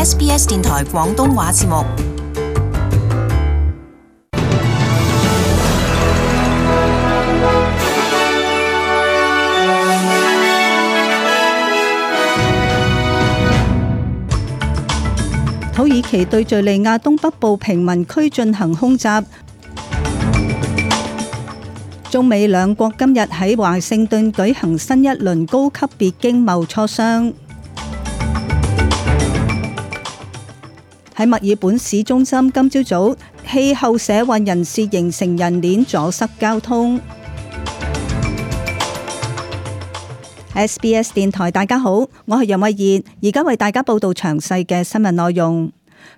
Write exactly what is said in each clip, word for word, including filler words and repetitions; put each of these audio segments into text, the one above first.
S B S 電台廣東話節目。土耳其對敘利亞東北部平民區進行空襲。中美兩國今日喺華盛頓舉行新一輪高級別經貿磋商。喺墨爾本市中心，今朝早氣候社運人士形成人鏈阻塞交通。S B S 電台大家好，我係楊慧儀，而家為大家報道詳細嘅新聞內容。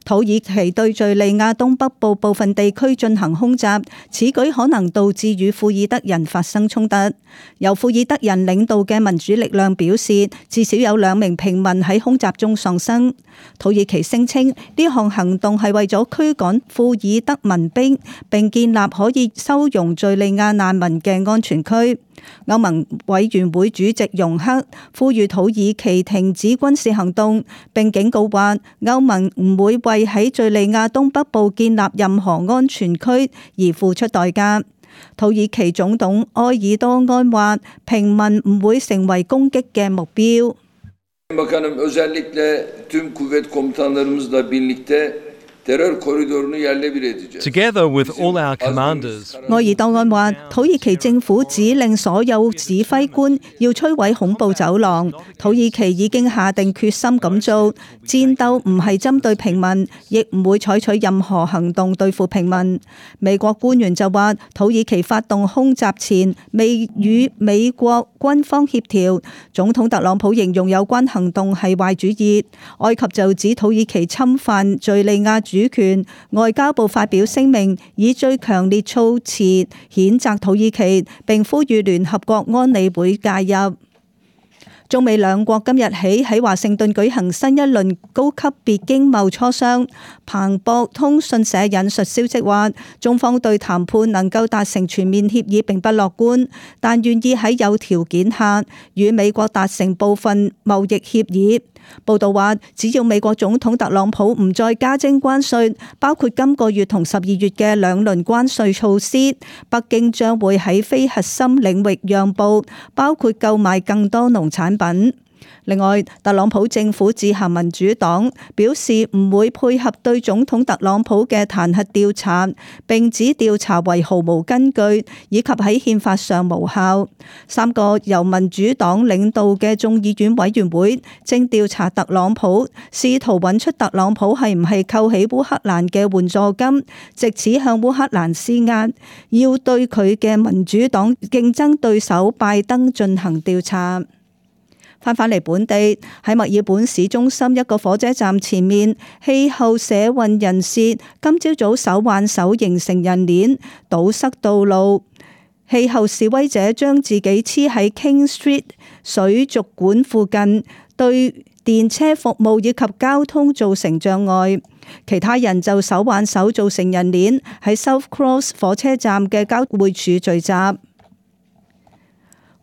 土耳其對敘利亞東北部部分地區進行空襲，此舉可能導致與庫爾德人發生衝突。由庫爾德人領導嘅民主力量表示，至少有兩名平民喺空襲中喪生。土耳其聲稱呢項行動係為咗驅趕庫爾德民兵，並建立可以收容敘利亞難民嘅安全區。歐盟委員會主席容克呼籲土耳其停止軍事行動，並警告話歐盟唔會為喺敘利亞東北部建立任何安全區而付出代價。土耳其總統埃爾多安話，平民唔會成為攻擊嘅目標。Together with all our commanders，埃爾多安話，土耳其政府指令所有指揮官要摧毀恐怖走廊，土耳其已經下定決心咁做。戰鬥唔係針對平民，亦唔會採取任何行動對付平民。美國官員就話，土耳其發動空襲前未與美國軍方協調，總統特朗普形容有關行動係壞主意。埃及就指土耳其侵犯敘利亞主權，外交部發表聲明，以最強烈措辭譴責土耳其，並呼籲聯合國安理會介入。中美兩國今日起喺華盛頓舉行新一輪高級別經貿磋商。彭博通訊社引述消息話，中方對談判能夠達成全面協議並不樂觀，但願意喺有條件下與美國達成部分貿易協議。報道話，只要美國總統特朗普唔再加徵關稅，包括今個月同十二月嘅兩輪關稅措施，北京將會喺非核心領域讓步，包括購買更多農產品。另外，特朗普政府致函民主黨，表示唔會配合對總統特朗普嘅彈劾調查，並指調查為毫無根據，以及喺憲法上無效。三個由民主黨領導嘅眾議院委員會正調查特朗普，試圖揾出特朗普係唔係扣起烏克蘭嘅援助金，藉此向烏克蘭施壓，要對佢嘅民主黨競爭對手拜登進行調查。翻返嚟本地，喺墨爾本市中心一個火車站前面，氣候社運人士今朝早手挽手形成人鏈，堵塞道路。氣候示威者將自己黐喺 King Street 水族館附近，對電車服務以及交通造成障礙。其他人就手挽手造成人鏈，喺 South Cross 火車站嘅交匯處聚集。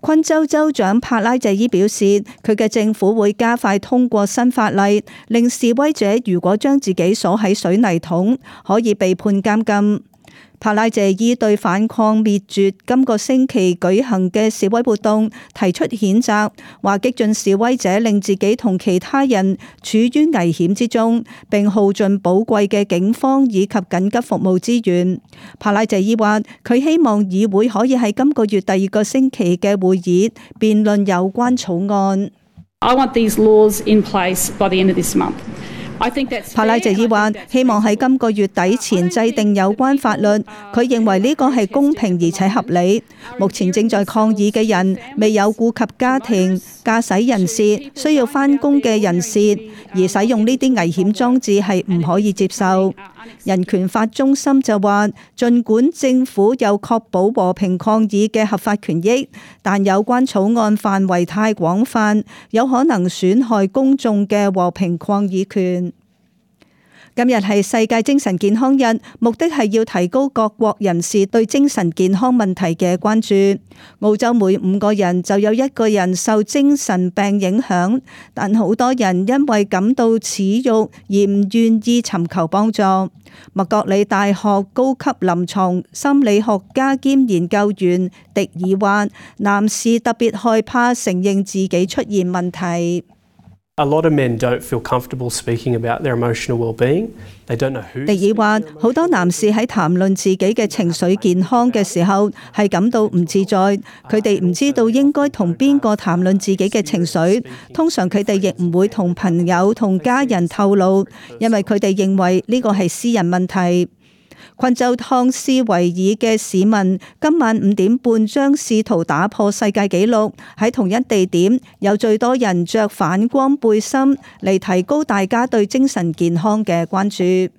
昆州州長帕拉謝伊表示，佢嘅政府會加快通過新法例，令示威者如果將自己鎖喺水泥桶，可以被判監禁。帕拉謝伊對反抗滅絕今個星期舉行嘅示威活動提出譴責，話激進示威者令自己同其他人處於危險之中，並耗盡寶貴嘅警方以及緊急服務資源。帕拉謝伊話，佢希望議會可以喺今個月第二個星期嘅會議辯論有關草案。I want these laws in place by the end of this month. 帕拉謝伊話，希望喺今個月底前制定有關法律。佢認為呢個係公平而且合理。目前正在抗議嘅人未有顧及家庭、駕駛人士、需要返工嘅人士，而使用呢啲危險裝置係唔可以接受。人權法中心就話，儘管政府有確保和平抗議嘅合法權益，但有關草案範圍太廣泛，有可能損害公眾嘅和平抗議權。今日係世界精神健康日，目的係要提高各國人士對精神健康問題嘅關注。澳洲每五個人就有一個人受精神病影響，但好多人因為感到恥辱而唔願意尋求幫助。麥覺里大學高級臨床心理學家兼研究員迪爾話，男士特別害怕承認自己出現問題。A lot of men don't feel comfortable speaking about their emotional well-being. They don't know who. 迪爾話，好多男士喺談論自己嘅情緒健康嘅時候係感到唔自在，佢哋唔知道應該同邊個談論自己嘅情緒。通常佢哋亦唔會同朋友同家人透露，因為佢哋認為呢個係私人問題。昆州湯斯維爾嘅市民今晚五點半將試圖打破世界紀錄，喺同一地點有最多人着反光背心嚟提高大家對精神健康嘅關注。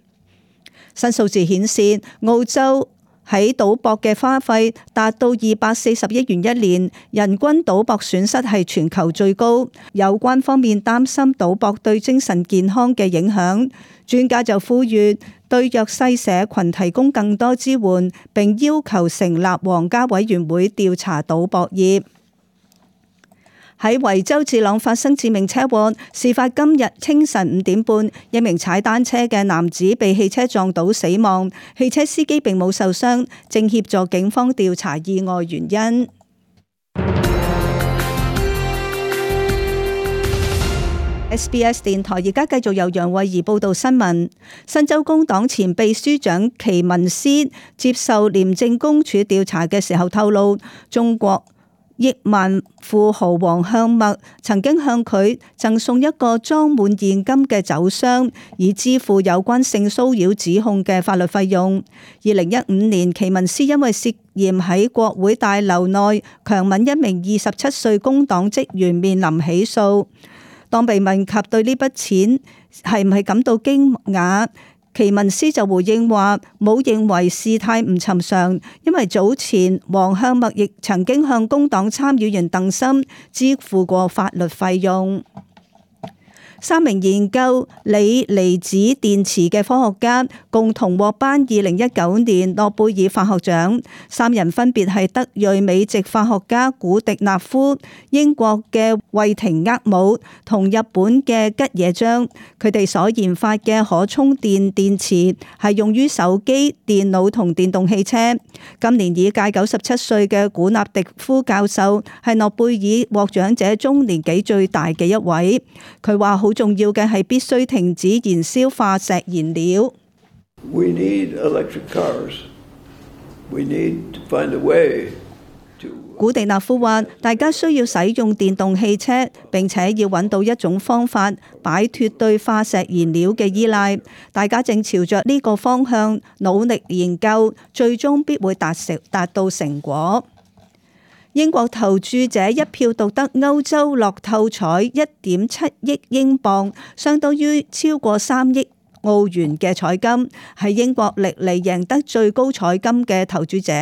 新數字顯示，澳洲喺賭博嘅花費達到二百四十億元一年，人均賭博損失係全球最高。有關方面擔心賭博對精神健康嘅影響，專家就呼籲對弱勢社群提供更多支援，並要求成立皇家委員會調查賭博業。喺維州治朗發生致命車禍，事發今日清晨五點半，一名踩單車嘅男子被汽車撞倒死亡，汽車司機並冇受傷，正協助警方調查意外原因。S B S 電台而家繼續由楊慧儀報道新聞。新州工黨前秘書長奇文斯接受廉政公署調查嘅時候透露，中國億萬富豪黃向墨曾經向佢贈送一個裝滿現金嘅酒箱，以支付有關性騷擾指控嘅法律費用。二零一五年，奇文斯因為涉嫌喺國會大樓內強吻一名二十七歲工黨職員，面臨起訴。當被問及對呢筆錢係唔係感到驚訝，奇文斯就回應話冇認為事態唔尋常，因為早前黃向墨亦曾經向工黨參議員鄧森支付過法律費用。三名研究鋰離子電池嘅科學家共同獲頒二零一九年諾貝爾化學獎，三人分別係德裔美籍化學家古迪納夫、英國嘅惠廷厄姆同日本嘅吉野彰。佢哋所研發嘅可充電電池係用於手機、電腦同電動汽車。今年已屆九十七歲嘅古納迪夫教授係諾貝爾獲獎者中年紀最大嘅一位。佢話好重要嘅係必須停止燃燒化石燃料。We need electric cars. We need to find a way to... 古迪納夫話：大家需要使用電動汽車，並且要揾到一種方法擺脫對化石燃料嘅依賴。大家正朝着呢個方向努力研究，最終必會達成達到成果。英國投注者一票獨得歐洲樂透彩一點七億英鎊，相當於超過三億澳元嘅彩金，係英國歷嚟贏得最高彩金嘅投注者。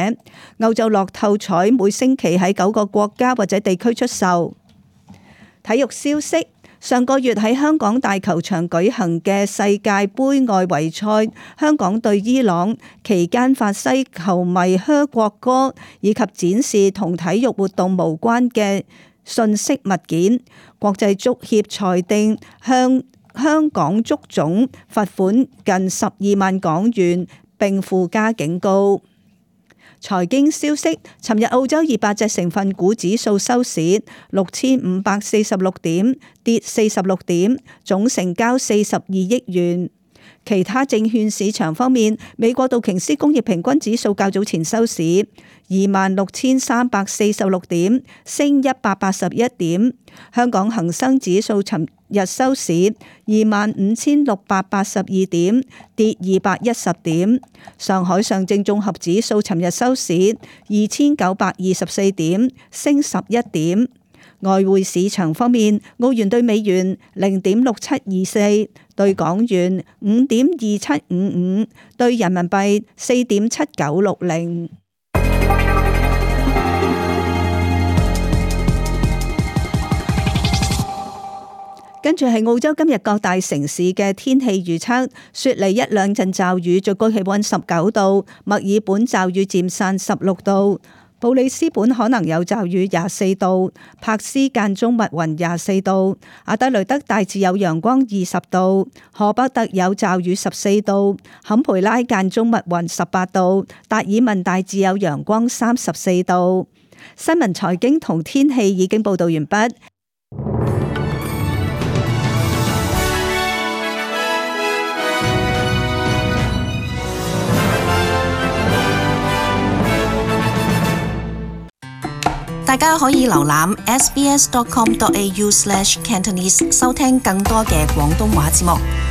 歐洲樂透彩每星期喺九個國家或者地區出售。體育消息。上個月喺香港大球場舉行嘅世界盃外圍賽，香港對伊朗期間法西球迷噓國歌，以及展示同體育活動無關嘅信息物件。國際足協裁定向香港足總罰款近十二萬港元，並附加警告。財經消息，尋日澳洲二百隻成分股指數收市六千五百四十六點，跌四十六點，總成交四十二億元。其他證券市場方面，美國道瓊斯工業平均指數較早前收市二萬六千三百四十六點，升一百八十一點。香港恒生指數尋日收市二萬五千六百八十二點，跌二百一十點。上海上證綜合指數尋日收市二千九百二十四點，升十一點。外匯市場方面，澳元對美元零點六七二四，對港元五點二七五五，對人民幣四點七九六零。跟住係澳洲今日各大城市嘅天氣預測，雪梨一兩陣驟雨，最高氣溫十九度；墨爾本驟雨漸散十六度；布里斯本可能有驟雨廿四度；柏斯間中密雲廿四度；阿德雷德大致有陽光二十度；荷伯特有驟雨十四度；坎培拉間中密雲十八度；達爾文大致有陽光三十四度。新聞財經同天氣已經報道完畢。大家可以瀏覽 s b s dot com dot a u slash cantonese 收聽更多嘅廣東話節目。